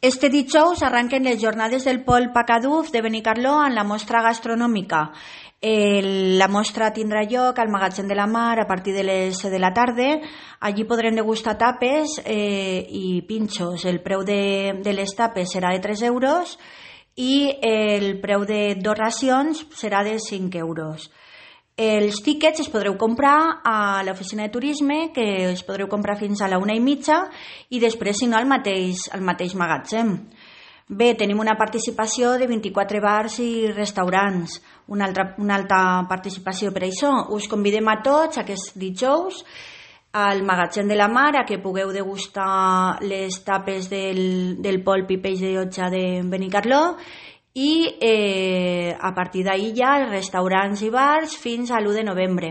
Este dijous arranquen les jornades del Pol Pacaduf de Benicarló en la mostra gastronòmica. La mostra tindrà lloc al Magatzem de la Mar a partir de les 7 de la tarda. Allí podrem degustar tapes i pinxos. El preu de les tapes serà de 3 euros i el preu de 2 racions serà de 5 euros. Els tíquets es podreu comprar a l'oficina de turisme, que els podreu comprar fins a la 1:30 i després, si no, al mateix magatzem. Bé, tenim una participació de 24 bars i restaurants, una alta participació per això. Us convidem a tots aquest dijous al Magatzem de la Mar a que pugueu degustar les tapes del polp i peix de llotja de Benicarló i a partir d'ahir ja els restaurants i bars fins a l'1 de novembre.